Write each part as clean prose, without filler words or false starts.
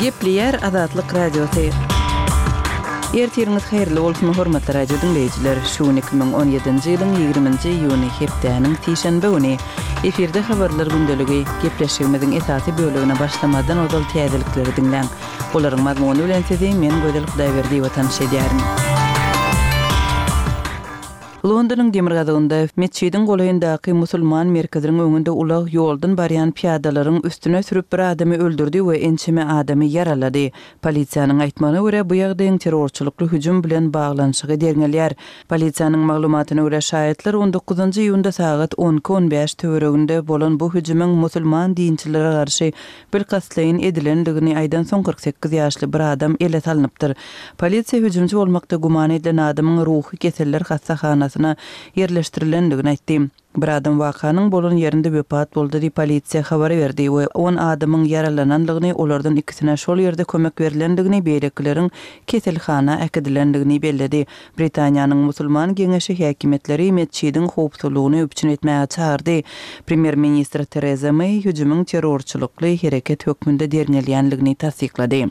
Gepleýär Azatlyk Radiosy. Ertiriňiz haýyrly bolsun, hormatly radio diňleýjiler! Şu gün 2017-nji ýylyň 20-nji iýuny, hepdäniň sişenbe güni. Efirde habarlar gündeligi. Gepleşigimiziň esasy bölegine başlamazdan ozal täzelikleri diňläň. Olaryň mazmuny bilen sizi men Gözel Hudaýberdiýewa tanyş edýärin. Londonyň demirgazygynda, metjidiň golaýyndaky musulman merkeziniň öňünde ulag ýoldan barýan pyýadalaryň üstüne sürüp bir adamy öldürdi we ençeme adamy ýaralady. Polisiýanyň aýtmagyna görä, bu ýagdaýyň terrorçylykly hüjüm bilen baglanyşygy derňelýär. Polisiýanyň maglumatyna görä, şaýatlar on dokuzynjy iýunda sagat on iki on bäş töwereginde bolan bu hüjümiň musulman dinçilere garşy Bilkastlaýyn edilendigini aýdansoň 48 ýaşly bir adam ele salnypdyr. Polisiýa hüjümçi bolmakda güman edilen adamyň ruhy keseller hassahanasyna ýerleşdirilendigini aýtdy. Bir adam wakanyň bolan ýerinde wepat boldy diýip polisiýa habar berdi we on adamyň ýaralanandygyny, olardan ikisine şol ýerde kömek berlendigini, beýlekileriň keselhana äkidilendigini belledi. Britaniýanyň Musulman geňeşi häkimiýetleri metjidiň howpsuzlygyny üpjün etmäge çagyrdy. Premýer-ministr Tereza Meý hüjümiň terrorçylykly hereket hökmünde derňelýänligini tassyklady.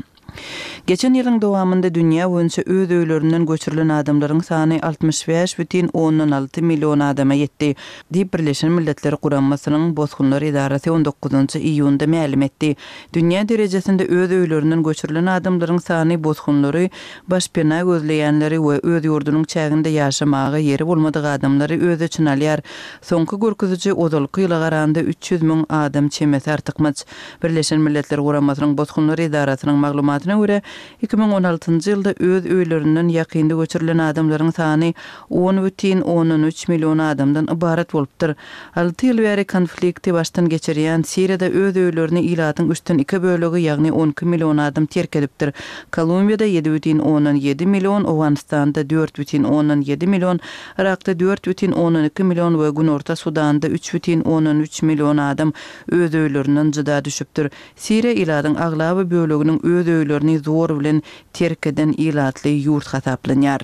Geçen ýylyň dowamynda dünýä boýunça öz öýlerinden göçürilen adamlaryň sany 65 bütin ondan alty million adama ýetdi, diýip Birleşen Milletler Guramasynyň Bosgunlar edarasy on dokuzynjy iýunda mälim etdi. Dünýä derejesinde öz öýlerinden göçürilen adamlaryň sany bosgunlary, başpena gözleýänleri we öz ýurdunyň çäginde ýaşamaga ýeri bolmadyk adamlary öz içine alýar. Soňky görkeziji ozalky ýyla garanda 300 müň adam çemesi artykmaç. Birleşen Milletler Guramasynyň Bosgunlar edarasynyň maglumatyna görä, 2016-njy ýylda öz öýlerinden ýakynda göçürilen adamlaryň sany on bütin ondan üç million adamdan ybarat bolupdyr. Alty ýyl bäri konflikti başdan geçirýän Siriýada öz öýlerini ilatyň üçden iki bölegi, ýagny 12 million adam terk edipdir. Kolumbiýada ýedi bütin ondan ýedi million, Owganystanda dört bütin ondan ýedi million, Yrakda dört bütin ondan iki million we Günorta Sudanda üç bütin ondan üç million adam öz öýlerinden jyda düşüpdir. Siriýa ilatyň aglaba böleginiň öz öýlerini zor bilen terk eden ilatly ýurt hasaplanýar.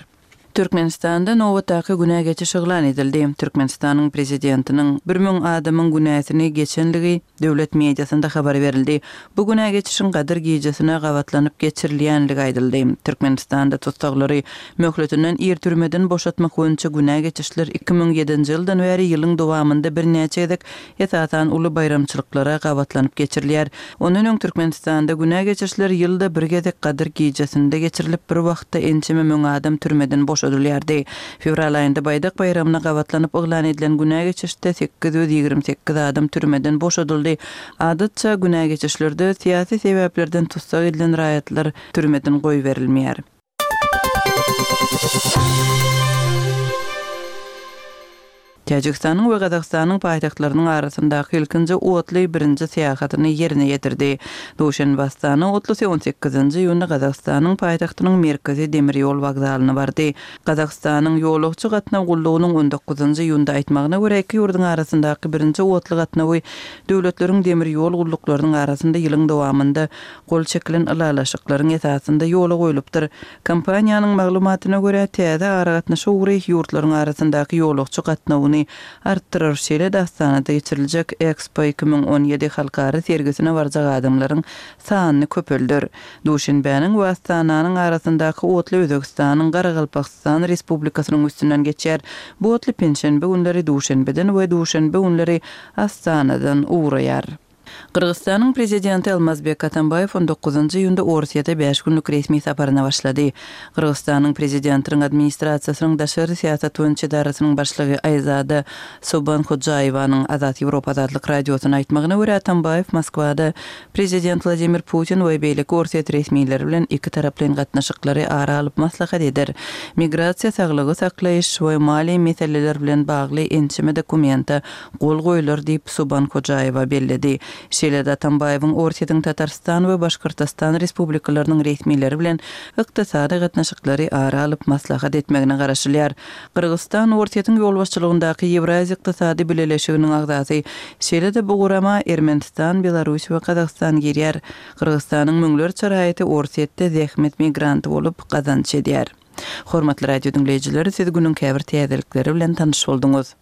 Türkmenistanda nobatdaky günä geçiş yglan edildi. Türkmenistanyň Prezidentiniň 1000 adamyň günäsini geçenligi döwlet mediasynda habar berildi. Bu günä geçişiň Gadyr gijesine gabatlanyp geçirilýänligi aýdyldy. Türkmenistanda tussaglary möhletinden ir türmeden boşatmak boýunça günä geçişler 2007-nji ýyldan bäri ýylyň dowamynda birnäçe gezek esasan uly baýramçylyklara gabatlanyp geçirilýär. Ondan öň Türkmenistanda günä geçişler ýylda bir gezek Gadyr gijesinde geçirilip, bir wagtda ençeme müň adam türmeden boşadylýardy. Fewral aýynda Baýdak baýramyna gabatlanyp yglan edilen günä geçişde 828 adam türmeden boşadyldy. Adatça, günä geçişlerde syýasy sebäplerden tussag edilen raýatlar türmeden goýberilmeýär. Täjigistanyň we Gazagystanyň paýtagtlarynyň arasyndaky ilkinji otly birinji syýahatyny ýerine ýetirdi. Duşenbe-Astana otlusy on sekizinji iýunda Gazagystanyň paýtagtynyň merkezi demir ýol wokzalyna bardy. Gazagystanyň ýolagçy gatnaw gullugynyň on dokuzynjy iýunda aýtmagyna görä, iki ýurduň arasyndaky birinji otly gatnawy döwletleriň demir ýol gulluklarynyň arasynda ýylyň dowamynda gol çekilen ylalaşyklaryň esasynda ýola goýlupdyr. Kompaniýanyň maglumatyna görä, täze aragatnaşyk ugry ýurtlaryň arasyndaky ýolagçy gatnawyny artdyrar, şeýle-de Astanada geçiriljek Expo 2017 halkara sergisine barjak adamlaryň sanyny köpelder. Duşenbäniň we Astananyň arasyndaky otly Özbegistanyň Garagalpagystan Respublikasynyň üstünden geçýär. Bu otly penşenbe günleri Duşenbeden we duşenbe günleri Astanadan ugraýar. Gyrgyzystanyň Prezidenti Almazbek Atambaýew on dokuzynjy iýunda Orsýete bäş günlük resmi saparyna başlady. Gyrgyzystanyň Prezidentiniň Administrasiýasynyň daşary syýasat boýunça edarasynyň başlygy Aýzada Sobanhojaýewanyň Azat Ýewropa Azatlyk Radiosyna aýtmagyna görä, Atambaýew Moskwada Prezident Wladimir Putin we beýleki orsýet resmileri bilen ikitaraplaýyn gatnaşyklary ara alyp maslahat eder. Migrasiýa, saglygy saklaýyş we maliýe meseleleri bilen bagly ençeme dokumente gol goýlar diýip, Subanhojaýewa belledi. Şeýle-de Atambaýewiň Orsýetiň Tatarystan we Başkortostan respublikalarynyň resmileri bilen ykdysady gatnaşyklary ara alyp maslahat etmegine garaşylýar. Gyrgyzystan Orsýetiň ýolbaşçylygyndaky Ýewraziýa ykdysady bileleşiginiň agzasy. Şeýle-de bu gurama Ermenistan, Belarus we Gazagystan girýär. Gyrgyzystanyň müňlerçe raýaty Orsýetde zähmet migranty bolup gazanç edýär. Hormatly radio diňleýjiler, siz günüň käbir täzelikleri bilen tanyş bolduňyz.